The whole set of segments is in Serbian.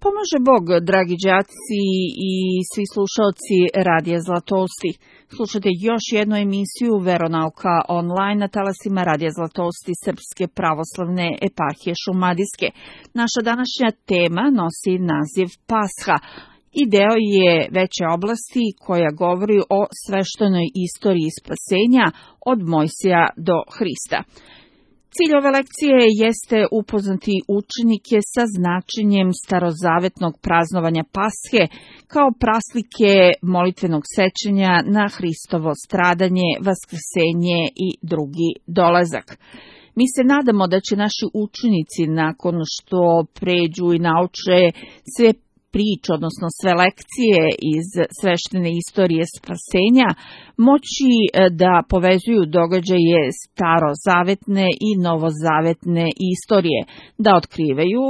Pomaže Bog, dragi đaci i svi slušalci Radija Zlatosti. Slušate još jednu emisiju Veronauka online na talasima Radija Zlatosti Srpske pravoslavne eparhije Šumadijske. Naša današnja tema nosi naziv Pasha i deo je veće oblasti koja govori o sveštenoj istoriji spasenja od Mojsija do Hrista. Cilj ove lekcije jeste upoznati učenike sa značenjem starozavetnog praznovanja Pashe kao praslike molitvenog sećanja na Hristovo stradanje, vaskrsenje i drugi dolazak. Mi se nadamo da će naši učenici, nakon što pređu i nauče sve priče, odnosno sve lekcije iz sveštene istorije spasenja, moći da povezuju događaje starozavetne i novozavetne istorije, da otkrivaju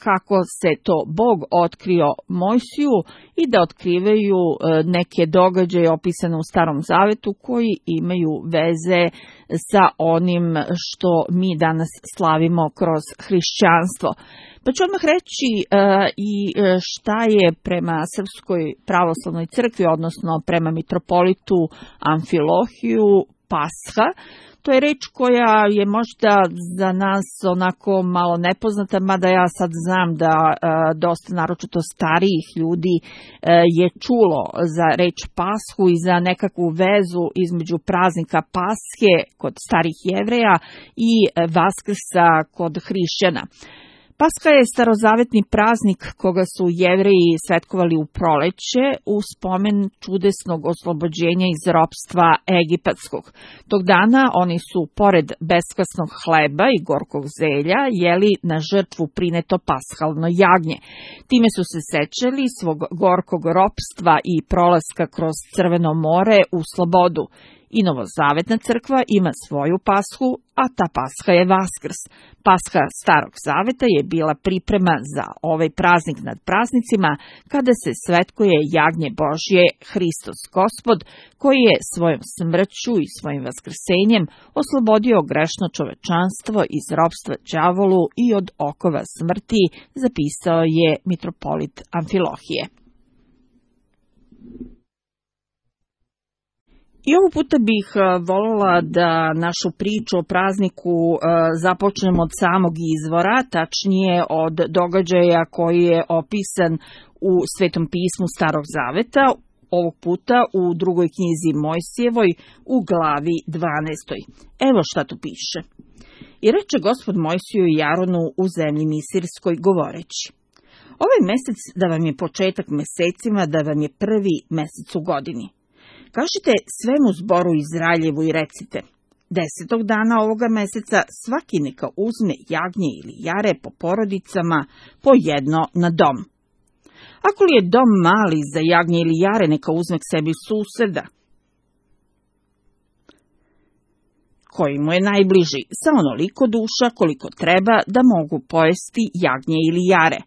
kako se to Bog otkrio Mojsiju i da otkrivaju neke događaje opisane u Starom Zavetu koji imaju veze sa onim što mi danas slavimo kroz hrišćanstvo. Pa ću odmah reći i šta je prema Srpskoj pravoslavnoj crkvi, odnosno prema mitropolitu Amfilohiju, Pasha. To je reč koja je možda za nas onako malo nepoznata, mada ja sad znam da dosta naročito starijih ljudi je čulo za reč Pashu i za nekakvu vezu između praznika Pashe kod starih Jevreja i Vaskrsa kod hrišćana. Pasha je starozavetni praznik koga su Jevreji svetkovali u proleće u spomen čudesnog oslobođenja iz ropstva egipatskog. Tog dana oni su, pored beskvasnog hleba i gorkog zelja, jeli na žrtvu prineto pashalno jagnje. Time su se sećali svog gorkog ropstva i prolaska kroz Crveno more u slobodu. I novozavetna crkva ima svoju Pashu, a ta Pasha je Vaskrs. Pasha Starog Zaveta je bila priprema za ovaj praznik nad praznicima, kada se svetkuje jagnje Božje, Hristos Gospod, koji je svojom smrću i svojim vaskrsenjem oslobodio grešno čovečanstvo iz ropstva đavolu i od okova smrti, zapisao je mitropolit Amfilohije. I ovog puta bih voljela da našu priču o prazniku započnemo od samog izvora, tačnije od događaja koji je opisan u Svetom pismu Starog Zaveta, ovog puta u drugoj knjizi Mojsijevoj u glavi 12. Evo šta tu piše. I reče Gospod Mojsiju i Jaronu u zemlji Misirskoj govoreći: ovaj mesec da vam je početak mesecima, da vam je prvi mesec u godini. Kažite svemu zboru Izraeljevu i recite: 10. dana ovoga meseca svaki neka uzme jagnje ili jare po porodicama, po jedno na dom. Ako li je dom mali za jagnje ili jare, neka uzme k sebi suseda, koji mu je najbliži, sa onoliko duša koliko treba da mogu pojesti jagnje ili jare.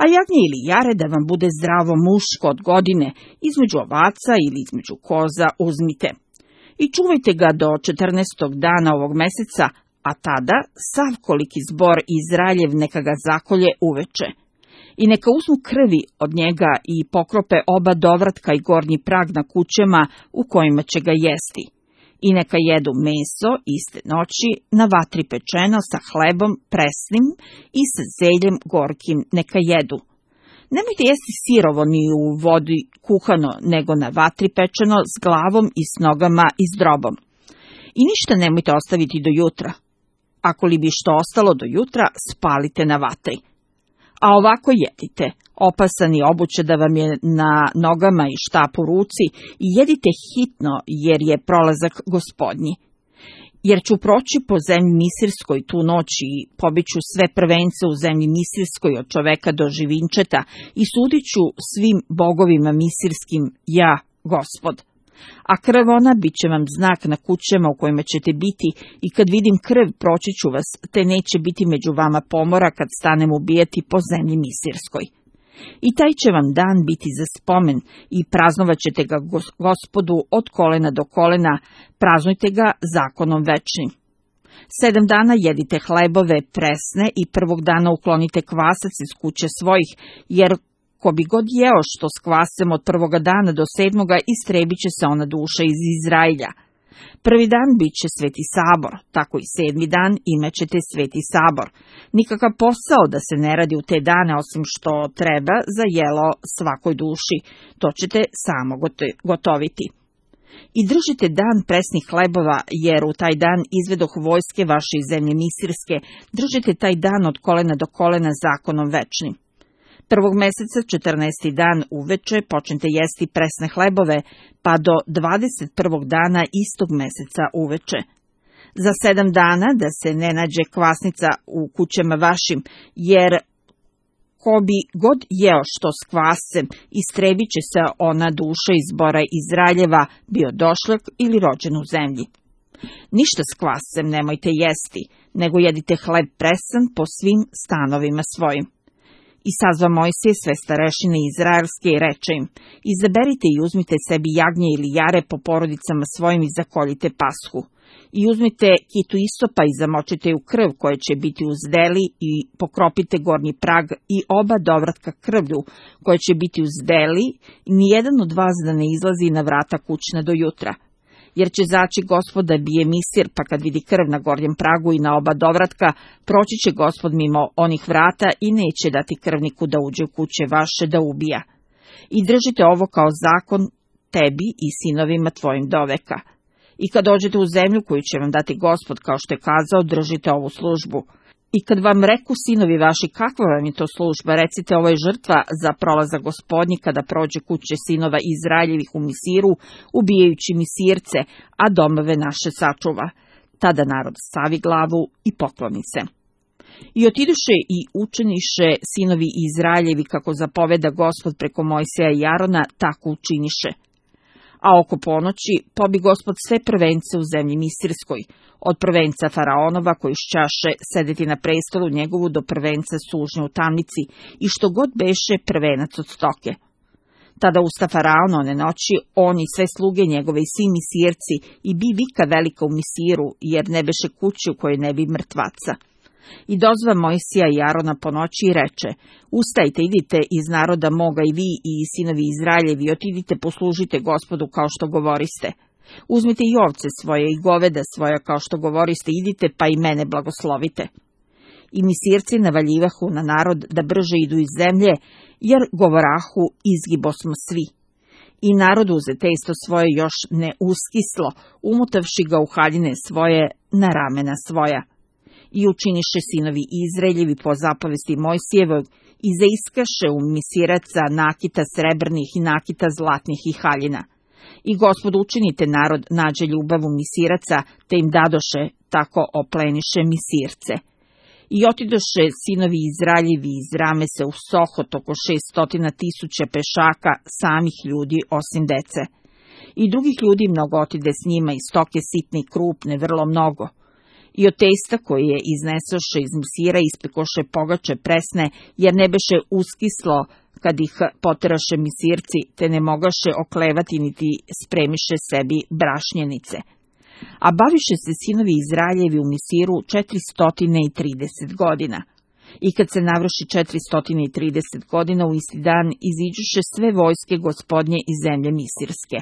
A jagnje ili jare da vam bude zdravo muško od godine, između ovaca ili između koza uzmite. I čuvajte ga do 14. dana ovog meseca, a tada sav koliki zbor Izraeljev neka ga zakolje uveče. I neka uzmu krvi od njega i pokrope oba dovratka i gornji prag na kućama u kojima će ga jesti. I neka jedu meso iste noći na vatri pečeno sa hlebom presnim i sa zeljem gorkim neka jedu. Nemojte jesti sirovo ni u vodi kuhano, nego na vatri pečeno s glavom i s nogama i s drobom. I ništa nemojte ostaviti do jutra. Ako li bi što ostalo do jutra, spalite na vatri. A ovako jedite, opasan i obuće da vam je na nogama i štap u ruci, i jedite hitno, jer je prolazak Gospodnji. Jer ću proći po zemlji Misirskoj tu noć i pobiću sve prvence u zemlji Misirskoj od čoveka do živinčeta i sudit ću svim bogovima misirskim, ja, Gospod. A krv ona bit će vam znak na kućama u kojima ćete biti, i kad vidim krv proći ću vas, te neće biti među vama pomora kad stanem ubijati po zemlji Misirskoj. I taj će vam dan biti za spomen i praznovat ćete ga Gospodu od kolena do kolena, praznujte ga zakonom večnim. 7 dana jedite hlebove presne i prvog dana uklonite kvasac iz kuće svojih, jer ko bi god jeo što s kvasem od prvoga dana do 7. istrebit će se ona duša iz Izraelja. Prvi dan bit će sveti sabor, tako i 7. dan imaćete sveti sabor. Nikakav posao da se ne radi u te dane, osim što treba za jelo svakoj duši, to ćete samo gotoviti. I držite dan presnih hlebova, jer u taj dan izvedoh vojske vaše iz zemlje Misirske, držite taj dan od kolena do kolena zakonom večnim. Prvog meseca, 14. dan uveče, počnite jesti presne hlebove, pa do 21. dana istog meseca uveče. Za 7 dana da se ne nađe kvasnica u kućama vašim, jer ko bi god jeo što s kvasem, istrebit će se ona duša iz zbora Izraeljeva, bio došlak ili rođen u zemlji. Ništa s kvasem nemojte jesti, nego jedite hleb presan po svim stanovima svojim. I sazva Mojsije sve starešine izraelske i reče im: izaberite i uzmite sebi jagnje ili jare po porodicama svojim i zakoljite pashu. I uzmite kitu isopa i zamočite u krv koje će biti uz deli i pokropite gornji prag i oba dovratka krvlju koje će biti uz deli, i nijedan od vas da ne izlazi na vrata kućna do jutra. Jer će zaći Gospod da bije Misir, pa kad vidi krv na gornjem pragu i na oba dovratka, proći će Gospod mimo onih vrata i neće dati krvniku da uđe u kuće vaše da ubija. I držite ovo kao zakon tebi i sinovima tvojim doveka. I kad dođete u zemlju koju će vam dati Gospod, kao što je kazao, držite ovu službu. I kad vam reku sinovi vaši, kakva vam je to služba, recite: ovo je žrtva za prolazak Gospodnji kada prođe kuće sinova Izraeljevih u Misiru, ubijajući Misirce, a domove naše sačuva. Tada narod stavi glavu i pokloni se. I otiduše i učiniše sinovi Izraeljevi kako zapoveda Gospod preko Mojsija i Arona, tako učiniše. A oko ponoći pobi Gospod sve prvence u zemlji Misirskoj, od prvenca Faraonova koji šćaše sedeti na prestolu njegovu do prvenca sužnje u tamnici i što god beše prvenac od stoke. Tada usta Faraona one noći, on i sve sluge njegove i svi Misirci, i bi vika velika u Misiru, jer ne beše kući u kojoj ne bi mrtvaca. I dozva Mojsija i Arona po noći i reče: ustajte, idite iz naroda moga i vi i sinovi Izraeljevi, otidite poslužite Gospodu kao što govoriste. Uzmite i ovce svoje i goveda svoja kao što govoriste, idite pa i mene blagoslovite. I Misirci navaljivahu na narod da brže idu iz zemlje, jer govorahu: izgibosmo svi. I narod uze testo svoje još ne uskislo, umutavši ga u haljine svoje na ramena svoja. I učiniše sinovi Izraeljevi po zapovesti Mojsijevog i zaiskaše u Misiraca nakita srebrnih i nakita zlatnih i haljina. I Gospod učinite narod nađe ljubav u Misiraca, te im dadoše, tako opleniše Misirce. I otidoše sinovi Izraeljevi iz Ramese u Sohot oko 600.000 pešaka, samih ljudi osim dece. I drugih ljudi mnogo otide s njima, i stoke sitne i krupne, vrlo mnogo. I od testa koje je iznesoše iz Misira ispekoše pogače presne, jer ne beše uskislo kad ih poteraše Misirci, te ne mogaše oklevati niti spremiše sebi brašnjenice. A baviše se sinovi Izraeljevi u Misiru 430 godina. I kad se navrši 430 godina, u isti dan iziđuše sve vojske Gospodnje iz zemlje Misirske.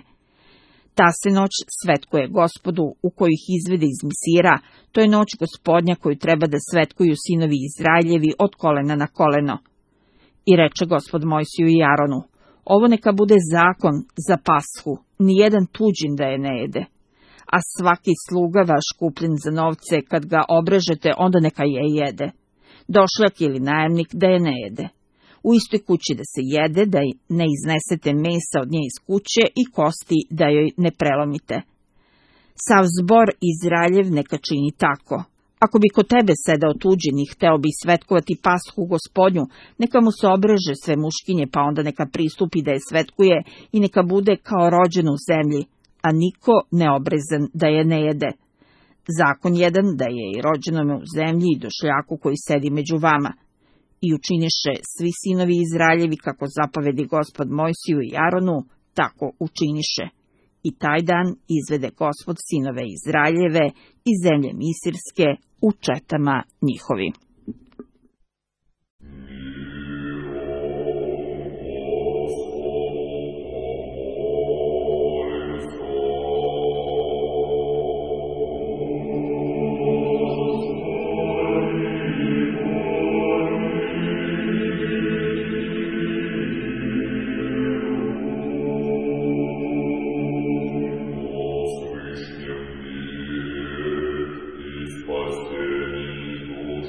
Ta se noć svetkuje Gospodu, u koju ih izvede iz Misira, to je noć Gospodnja koju treba da svetkuju sinovi Izraeljevi od kolena na koleno. I reče Gospod Mojsiju i Aronu: ovo neka bude zakon za pashu, nijedan tuđin da je ne jede. A svaki sluga vaš kupljen za novce, kad ga obrežete, onda neka je jede. Došlak ili najemnik da je ne jede. U istoj kući da se jede, da ne iznesete mesa od nje iz kuće i kosti da joj ne prelomite. Sav zbor Izraeljev neka čini tako. Ako bi kod tebe sedao tuđin i hteo bi svetkovati pashu Gospodnju, neka mu se obreže sve muškinje, pa onda neka pristupi da je svetkuje i neka bude kao rođen u zemlji, a niko neobrezan da je ne jede. Zakon jedan da je i rođenome u zemlji i došljaku koji sedi među vama. I učiniše svi sinovi Izraeljevi kako zapovedi Gospod Mojsiju i Aronu, tako učiniše. i taj dan izvede Gospod sinove Izraeljeve iz zemlje Misirske u četama njihovim. Spaseni duš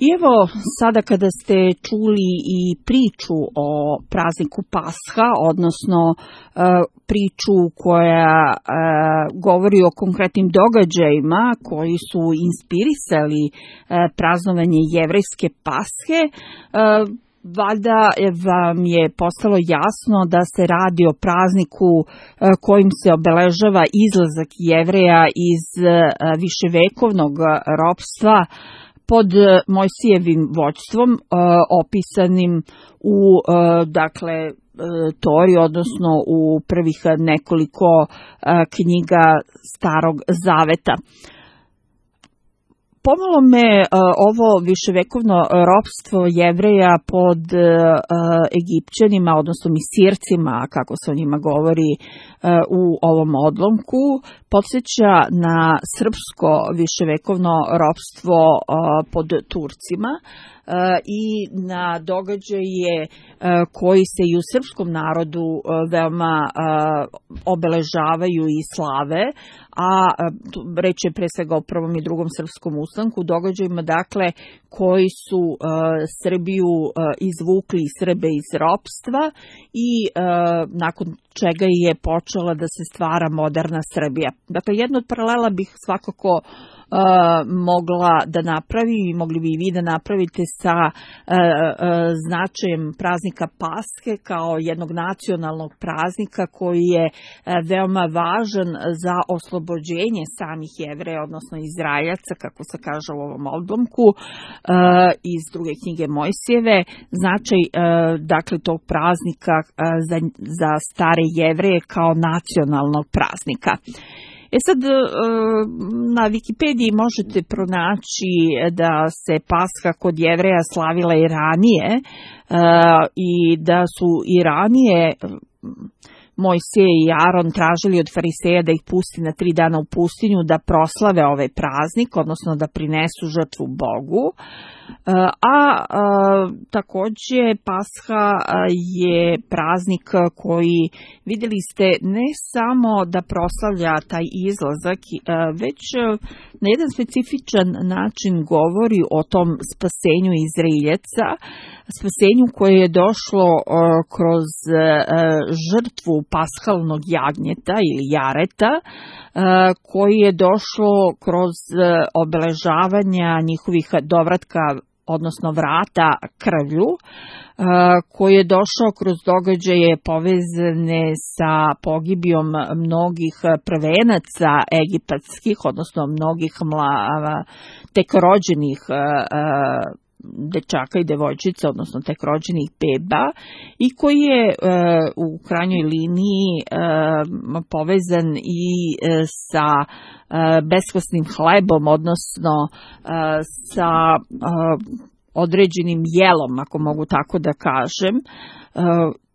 I evo, sada kada ste čuli i priču o prazniku Pasha, odnosno priču koja govori o konkretnim događajima koji su inspirisali praznovanje jevrejske Pashe, valjda vam je postalo jasno da se radi o prazniku kojim se obeležava izlazak Jevreja iz viševekovnog ropstva pod Mojsijevim vođstvom, opisanim u Tori, odnosno u prvih nekoliko knjiga Starog Zaveta. Pomalo me ovo viševekovno ropstvo Jevreja pod Egipćanima, odnosno Misircima, kako se o njima govori u ovom odlomku, podsjeća na srpsko viševekovno ropstvo pod Turcima i na događaje koji se i u srpskom narodu veoma obeležavaju i slave, a reč je pre svega o prvom i drugom srpskom ustanku, događajima dakle koji su Srbiju izvukli, Srbe iz ropstva i nakon čega je počela da se stvara moderna Srbija. Dakle, jedno od paralela bih svakako mogla da napravi i mogli bi i vi da napravite sa značajem praznika Pashe kao jednog nacionalnog praznika koji je veoma važan za oslobođenje samih Jevreja, odnosno Izraeljaca, kako se kaže u ovom odlomku iz druge knjige Mojsijeve. Značaj dakle tog praznika za stare Jevreje kao nacionalnog praznika. Sad, na Wikipediji možete pronaći da se Pasha kod Jevreja slavila i ranije i da su i ranije Mojsije i Aron tražili od fariseja da ih pusti na 3 dana u pustinju da proslave ovaj praznik, odnosno da prinesu žrtvu Bogu. Takođe Pasha je praznik koji, vidjeli ste, ne samo da proslavlja taj izlazak, već na jedan specifičan način govori o tom spasenju Izraeljaca, spasenju koje je došlo kroz žrtvu paskalnog jagnjeta ili jareta, koji je došlo kroz obeležavanja njihovih dovratka, odnosno vrata krvlju, koji je došao kroz događaje povezane sa pogibijom mnogih prvenaca egipatskih, odnosno mnogih tek rođenih dečaka i devojčica, odnosno tek rođenih beba, i koji je u krajnjoj liniji povezan i sa beskvasnim hlebom, odnosno sa određenim jelom, ako mogu tako da kažem.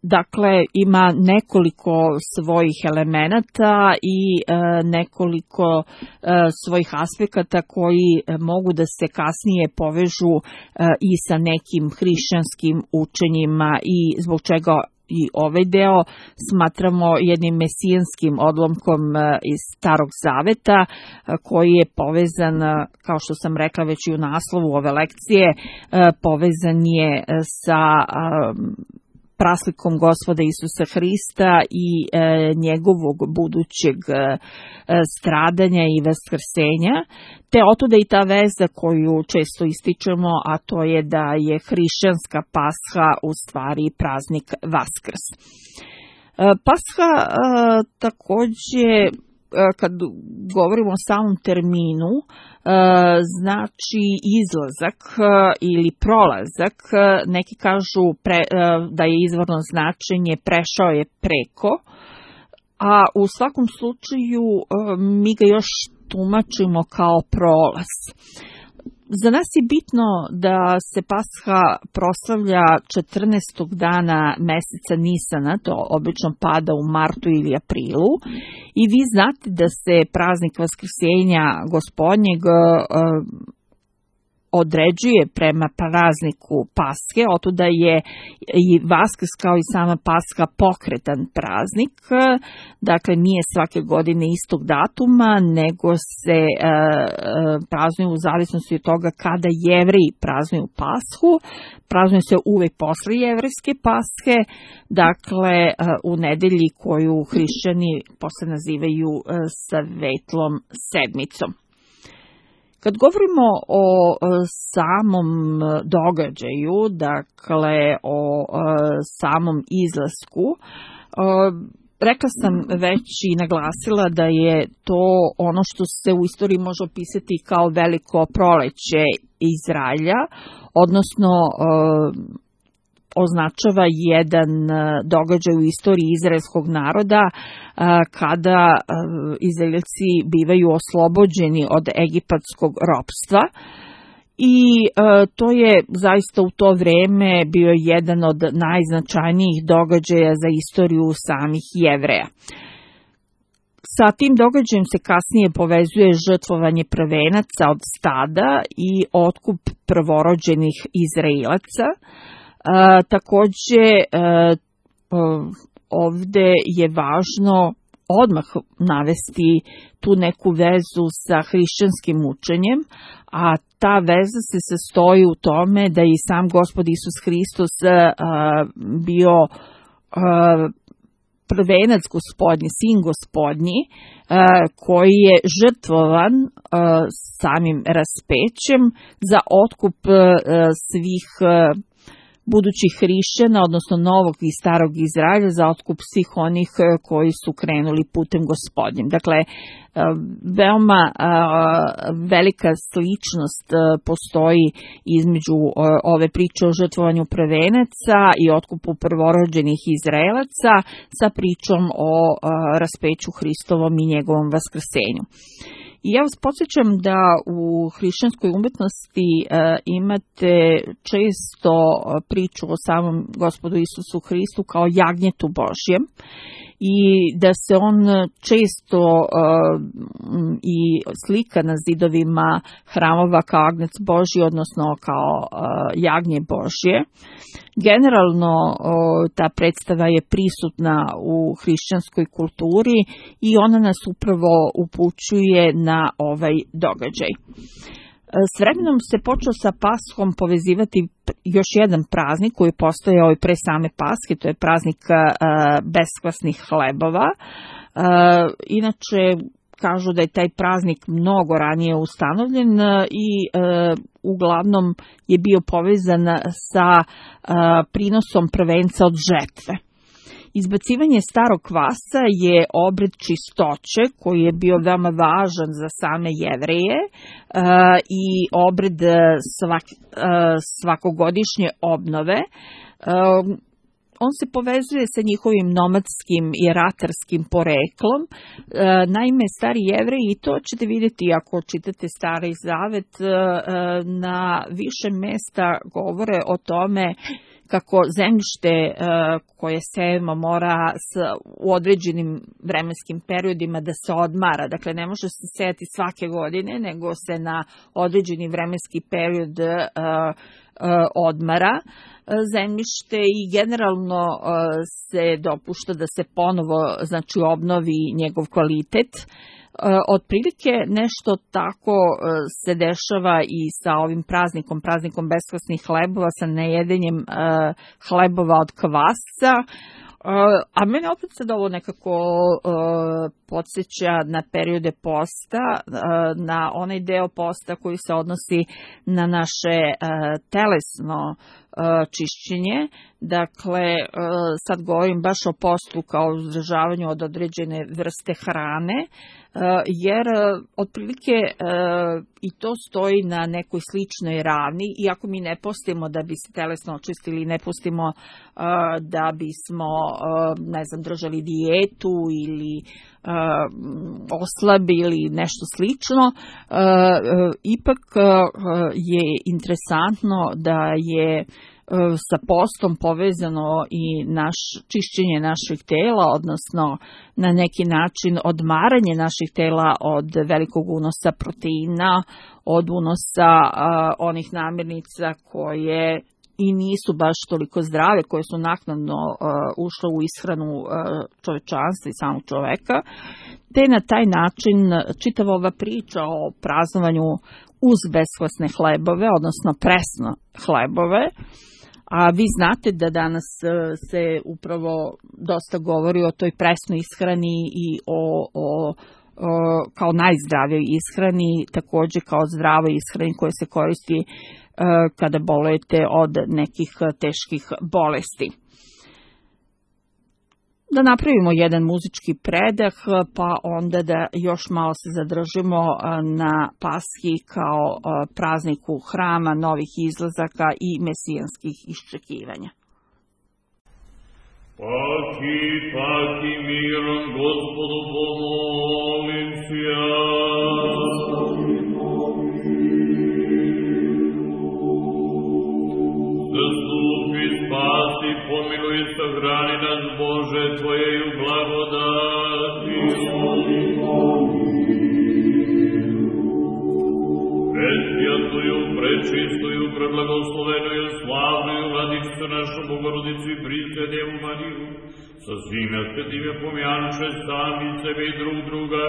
Dakle, ima nekoliko svojih elemenata i nekoliko svojih aspekata koji mogu da se kasnije povežu i sa nekim hrišćanskim učenjima i zbog čega i ovaj deo smatramo jednim mesijanskim odlomkom iz Starog Zaveta koji je povezan, kao što sam rekla već i u naslovu ove lekcije, povezan je sa praslikom Gospoda Isusa Hrista i njegovog budućeg stradanja i vaskrsenja, te otuda i ta veza koju često ističemo, a to je da je hrišćanska Pasha u stvari praznik Vaskrs. Pasha takođe, kad govorimo o samom terminu, znači izlazak ili prolazak. Neki kažu da je izvorno značenje prešao je preko, a u svakom slučaju mi ga još tumačimo kao prolaz. Za nas je bitno da se Pasha proslavlja 14. dana meseca Nisana, to obično pada u martu ili aprilu, i vi znate da se praznik Vaskrsenja Gospodnjeg određuje prema prazniku Paske, otuda je i Vaskrs kao i sama Paska pokretan praznik, dakle nije svake godine istog datuma, nego se praznuju u zavisnosti od toga kada Jevreji praznuju Pashu. Praznuju se uvek posle jevrejske Paske, dakle u nedelji koju hrišćani posle nazivaju Svetlom sedmicom. Kad govorimo o samom događaju, dakle o samom izlasku, rekla sam već i naglasila da je to ono što se u istoriji može opisati kao veliko proleće Izraelja, odnosno označava jedan događaj u istoriji izraelskog naroda kada Izraelci bivaju oslobođeni od egipatskog ropstva i to je zaista u to vreme bio jedan od najznačajnijih događaja za istoriju samih Jevreja. Sa tim događajem se kasnije povezuje žrtvovanje prvenaca od stada i otkup prvorođenih Izraelaca. Takođe, ovde je važno odmah navesti tu neku vezu sa hrišćanskim učenjem, a ta veza se sastoji u tome da je i sam Gospod Isus Hristos bio prvenac gospodnji, sin gospodnji, koji je žrtvovan samim raspećem za otkup svih budućih hrišćana, odnosno novog i starog Izraelja, za otkup svih onih koji su krenuli putem gospodnjim. Dakle, veoma velika sličnost postoji između ove priče o žrtvovanju prvenaca i otkupu prvorođenih Izraelaca sa pričom o raspeću Hristovom i njegovom vaskrsenju. I ja vas podsjećam da u hrišćanskoj umetnosti imate često priču o samom Gospodu Isusu Hristu kao jagnjetu Božjem i da se on često i slika na zidovima hramova kao agnec Božji, odnosno kao jagnje Božje. Generalno ta predstava je prisutna u hrišćanskoj kulturi i ona nas upravo upućuje na ovaj događaj. S vremenom se počeo sa Paschom povezivati još jedan praznik koji je postojao i pre same Paske, to je praznik beskvasnih hlebova. Inače, kažu da je taj praznik mnogo ranije ustanovljen i uglavnom je bio povezan sa prinosom prvenca od žetve. Izbacivanje starog kvasca je obred čistoće koji je bio veoma važan za same Jevreje i obred svakogodišnje obnove. On se povezuje sa njihovim nomadskim i ratarskim poreklom. Naime, stari Jevreji, i to ćete vidjeti ako čitate Stari Zavet, na više mesta govore o tome kako zemljište koje sejemo mora u određenim vremenskim periodima da se odmara. Dakle, ne može se sejati svake godine, nego se na određeni vremenski period odmara zemljište i generalno se dopušta da se ponovo obnovi njegov kvalitet. Otprilike nešto tako se dešava i sa ovim praznikom beskvasnih hlebova, sa nejedenjem hlebova od kvasca. A mene opet sad ovo nekako podsjeća na periode posta, na onaj deo posta koji se odnosi na naše telesno čišćenje. Dakle, sad govorim baš o postu kao uzdržavanju od određene vrste hrane, jer otprilike i to stoji na nekoj sličnoj ravni, iako mi ne postimo da bi se telesno očistili, ne pustimo da bismo držali dijetu ili oslabili nešto slično, ipak je interesantno da je sa postom povezano i čišćenje naših tela, odnosno na neki način odmaranje naših tela od velikog unosa proteina, od unosa onih namirnica koje i nisu baš toliko zdrave, koje su naknadno ušle u ishranu čovečanstva i samog čoveka, te na taj način čitava ova priča o praznovanju uz beskvasne hlebove, odnosno presno hlebove, a vi znate da danas se upravo dosta govori o toj presnoj ishrani i o kao najzdravijoj ishrani, također kao zdravoj ishrani koja se koristi kada bolujete od nekih teških bolesti. Da napravimo jedan muzički predah, pa onda da još malo se zadržimo na Pashi kao prazniku hrama, novih izlazaka i mesijanskih iščekivanja. Paki mirom, Gospodu pomolim se ja. Zastupi, spasi, pomiluj, sahrani nas, Bože, Tvojeju blagodati. Presvjatuju, prečistuju, preblagoslovenuju, slavnuju Vladicu našu Bogorodicu i Prisjedjevu Mariju, sa svime svetime pomjanuše sami sebe i drug druga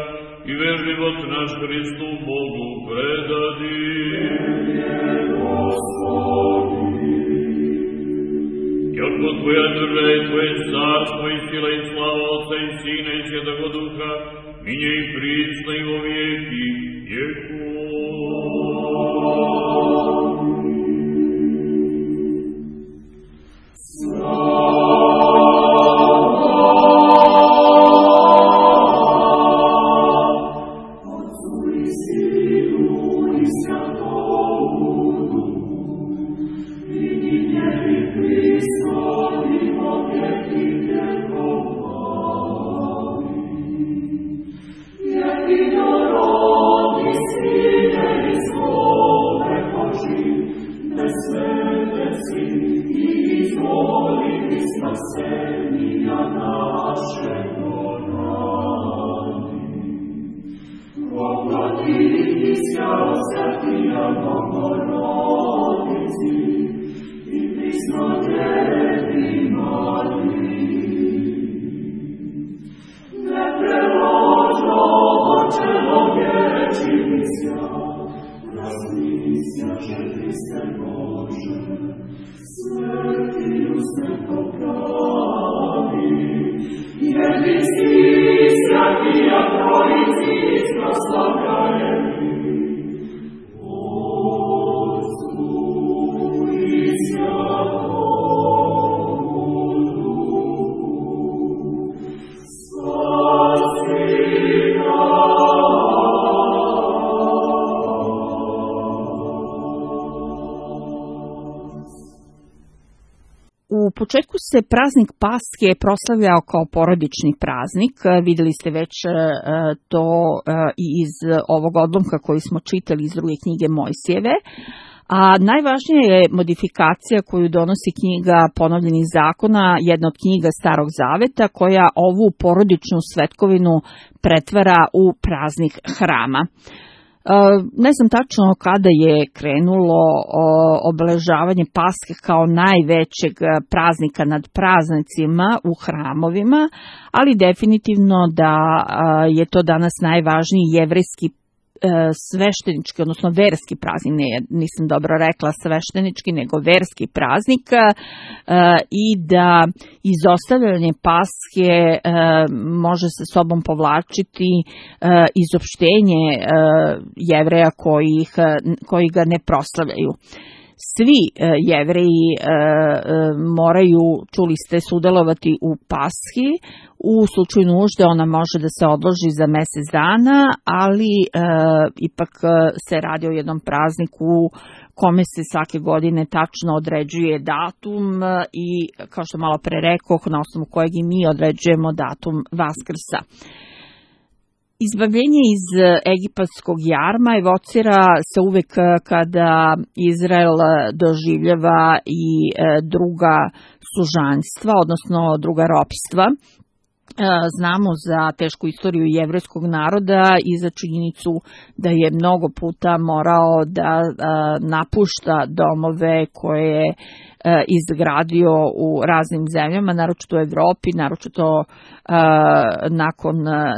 i ver život naš Hristu Bogu predadi. Jako Tvoja država i Tvoje carstvo i sila i slava Otca i Sina i Svjetog Duha, minje i prisna i o vijeki vjekova. U početku se praznik Paske proslavljao kao porodični praznik. Vidjeli ste već to i iz ovog odlomka koji smo čitali iz druge knjige Mojsijeve. A najvažnija je modifikacija koju donosi knjiga Ponovljenih zakona, jedna od knjiga Starog zaveta, koja ovu porodičnu svetkovinu pretvara u praznik hrama. Ne znam tačno kada je krenulo obeležavanje Paske kao najvećeg praznika nad praznicima u hramovima, ali definitivno da je to danas najvažniji jevrejski sveštenički, odnosno verski praznik, nisam dobro rekla sveštenički, nego verski praznik, i da izostavljanje Paske može sa sobom povlačiti izopštenje Jevreja koji ga ne proslavljaju. Svi Jevreji moraju, čuli ste, sudjelovati u Pashi. U slučaju nužde ona može da se odloži za mjesec dana, ali ipak se radi o jednom prazniku kome se svake godine tačno određuje datum i, kao što malo pre rekoh, na osnovu kojeg i mi određujemo datum Vaskrsa. Izbavljenje iz egipatskog jarma evocira se uvek kada Izrael doživljava i druga sužanjstva, odnosno druga ropstva. Znamo za tešku istoriju jevrejskog naroda i za činjenicu da je mnogo puta morao da napušta domove koje je izgradio u raznim zemljama, naročito u Evropi, naročito nakon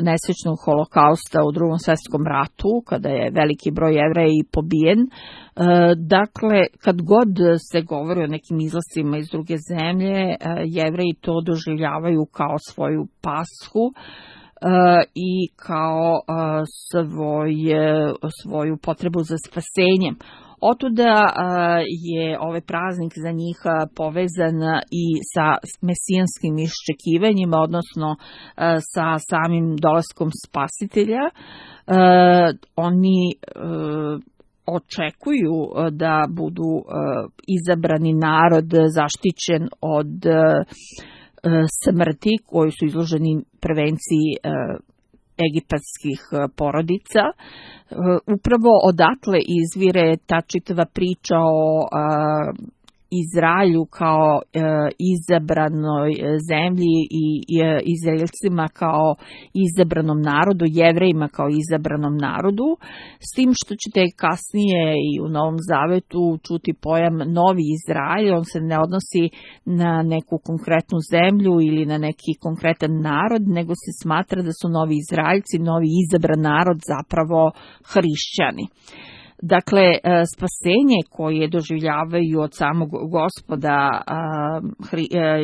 nesrećnog holokausta u Drugom svjetskom ratu, kada je veliki broj Jevreja i pobijen. Dakle, kad god se govori o nekim izlascima iz druge zemlje, Jevreji to doživljavaju kao svoju pashu i kao svoju potrebu za spasenjem. Otuda je ovaj praznik za njih povezan i sa mesijanskim iščekivanjima, odnosno sa samim dolaskom spasitelja. Oni očekuju da budu izabrani narod zaštićen od smrti koji su izloženi prevenciji egipatskih porodica. Upravo odatle izvire ta čitava priča o Izraelju kao izabranoj zemlji i Izraelcima kao izabranom narodu, Jevrejima kao izabranom narodu, s tim što ćete kasnije i u Novom Zavetu čuti pojam Novi Izrael. On se ne odnosi na neku konkretnu zemlju ili na neki konkretan narod, nego se smatra da su Novi Izraelci, novi izabran narod, zapravo hrišćani. Dakle, spasenje koje doživljavaju od samog Gospoda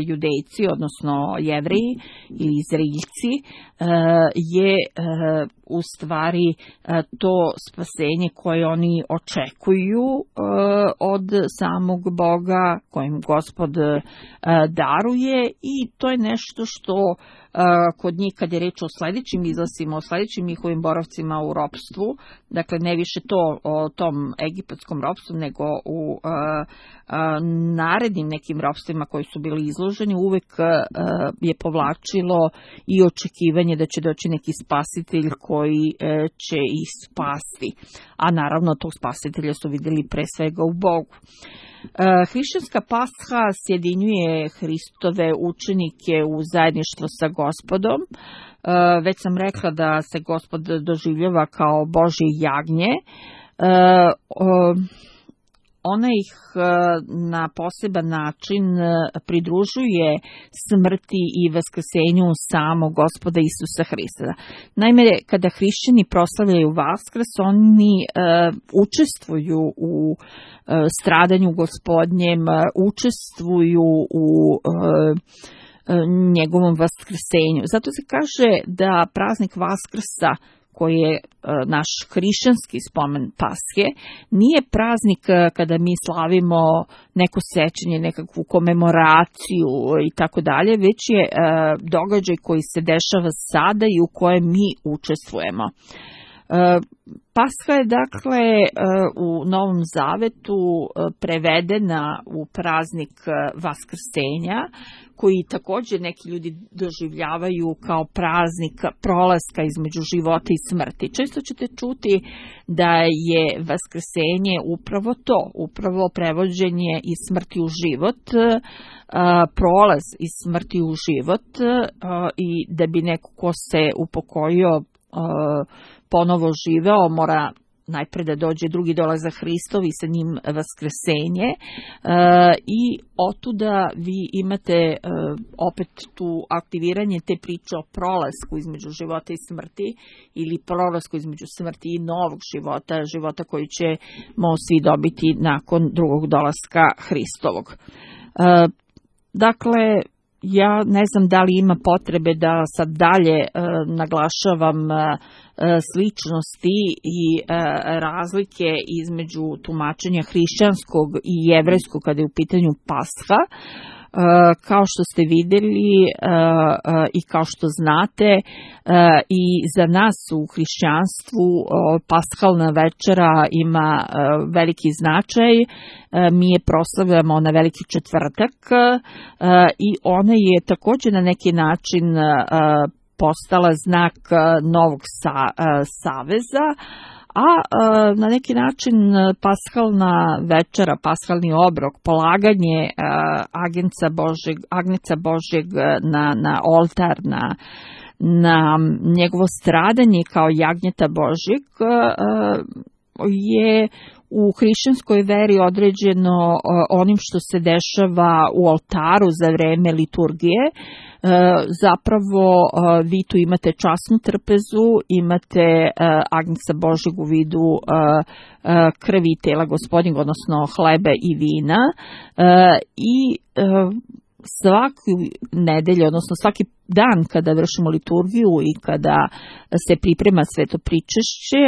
Judejci, odnosno Jevreji ili Izraeljci, je u stvari to spasenje koje oni očekuju od samog Boga, kojim Gospod daruje, i to je nešto što kod njih, kad je reč o sledećim izlasima, o sledećim njihovim boravcima u ropstvu, dakle ne više to o tom egipatskom ropstvu, nego u narednim nekim ropstvima koji su bili izloženi, uvek je povlačilo i očekivanje da će doći neki spasitelj koji će ih spasti. A naravno tog spasitelja su vidjeli pre svega u Bogu. Hrišćanska pasha sjedinjuje Hristove učenike u zajedništvo sa Gospodom. Već sam rekla da se Gospod doživljava kao Božje jagnje. Ona ih na poseban način pridružuje smrti i vaskrsenju samog Gospoda Isusa Hrista. Naime, kada hrišćani proslavljaju Vaskrs, oni učestvuju u stradanju Gospodnjem, učestvuju u njegovom vaskrsenju. Zato se kaže da praznik Vaskrsa, koji je naš hrišćanski spomen Pashe, nije praznik kada mi slavimo neko sećanje, nekakvu komemoraciju i tako dalje, već je događaj koji se dešava sada i u kojem mi učestvujemo. Pasha je dakle u Novom Zavetu prevedena u praznik Vaskrsenja, koji također neki ljudi doživljavaju kao praznik prolaska između života i smrti. Često ćete čuti da je Vaskrsenje upravo to, upravo prevođenje iz smrti u život, prolaz iz smrti u život, i da bi neko ko se upokojio ponovo živeo, mora najpre da dođe drugi dolazak Hristov i sa njim vaskrsenje, i otuda vi imate opet tu aktiviranje te priče o prolasku između života i smrti, ili prolasku između smrti i novog života, života koji ćemo svi dobiti nakon drugog dolaska Hristovog. Dakle, ja ne znam da li ima potrebe da sad dalje naglašavam sličnosti i razlike između tumačenja hrišćanskog i jevrejskog kada je u pitanju Pasha. Kao što ste vidjeli i kao što znate, i za nas u hrišćanstvu paskalna večera ima veliki značaj. Mi je proslavljamo na Veliki četvrtak i ona je također na neki način postala znak novog saveza, a na neki način paskalna večera, paskalni obrok, polaganje agnjeca Božjeg na oltar, na njegovo stradanje kao jagnjeta Božjeg je u hrišćanskoj veri određeno onim što se dešava u oltaru za vreme liturgije. Zapravo vi tu imate časnu trpezu, imate agnjeca Božjeg u vidu krvi i tela Gospodnjeg, odnosno hleba i vina, i svaku nedelju, odnosno svaki dan kada vršimo liturgiju i kada se priprema sveto pričešće,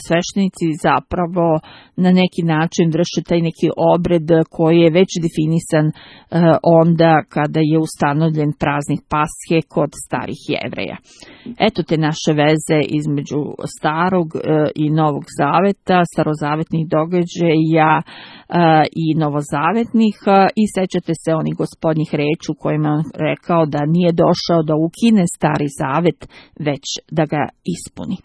sveštenici zapravo na neki način vrše taj neki obred koji je već definisan onda kada je ustanovljen praznik Pashe kod starih Jevreja. Eto te naše veze između starog i novog zaveta, starozavetnih događaja i novozavetnih, i sećate se onih Gospodnjih reči u kojima on rekao da nije došao da ukine stari zavet, već da ga ispuni.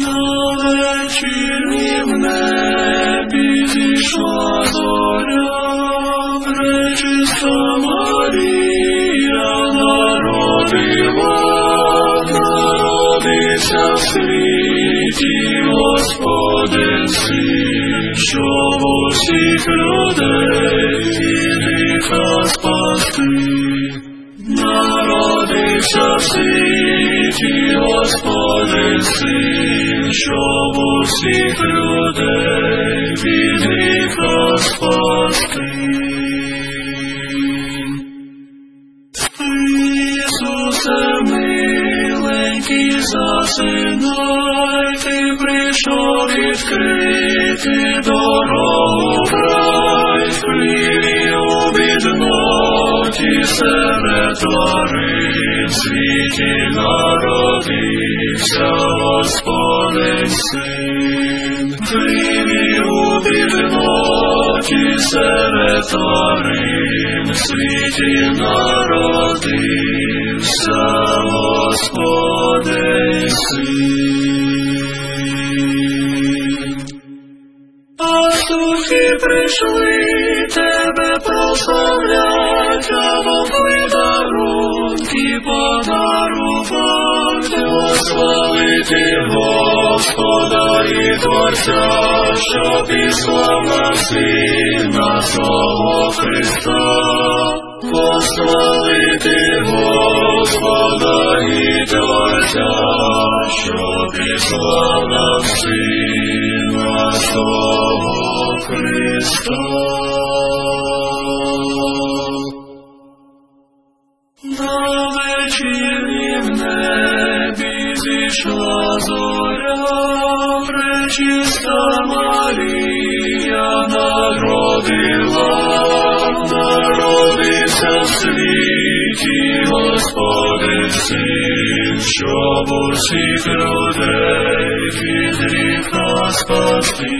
Na večernjem nebi zišla zorja, prečista Marija narodica sviti Gospodin sin, що в усіх людей гріха спасти. Народився в світі Господин син, що в усіх людей від гріха спасти. Ісусе миленький, засинай, ти прийшов відкрити дорогу в рай, в хліві у бідноті серед тварин, в світі народився Господень син. В хліві у бідноті серед тварин, в світі народився Господень син. Пастухи прийшли тебе прославлять, а вовки дарунки подарувать, славити Господа і Творця, що післав на Сина свого Христа. Пославити Господа і Творця, що післав нам Сина свого Христа. На вечірнім небі зійшла зоря, пречиста Марія народився в світі Господень син, щоб усіх людей від гріха спасти.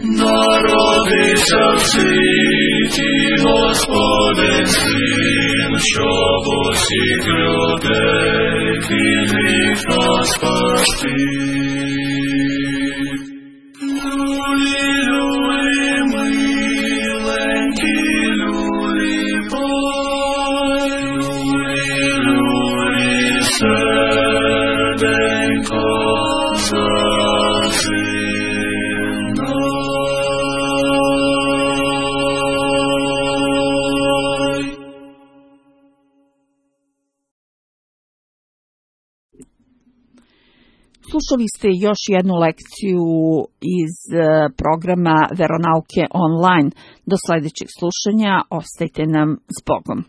Народився в світі Господень син, щоб усіх людей від гріха спасти. Люлі, люлі, миленькі, люлі, пой, люлі, люлі, серденько засинай. Slušali ste još jednu lekciju iz programa Veronauke online. Do sljedećeg slušanja, ostajte nam s Bogom.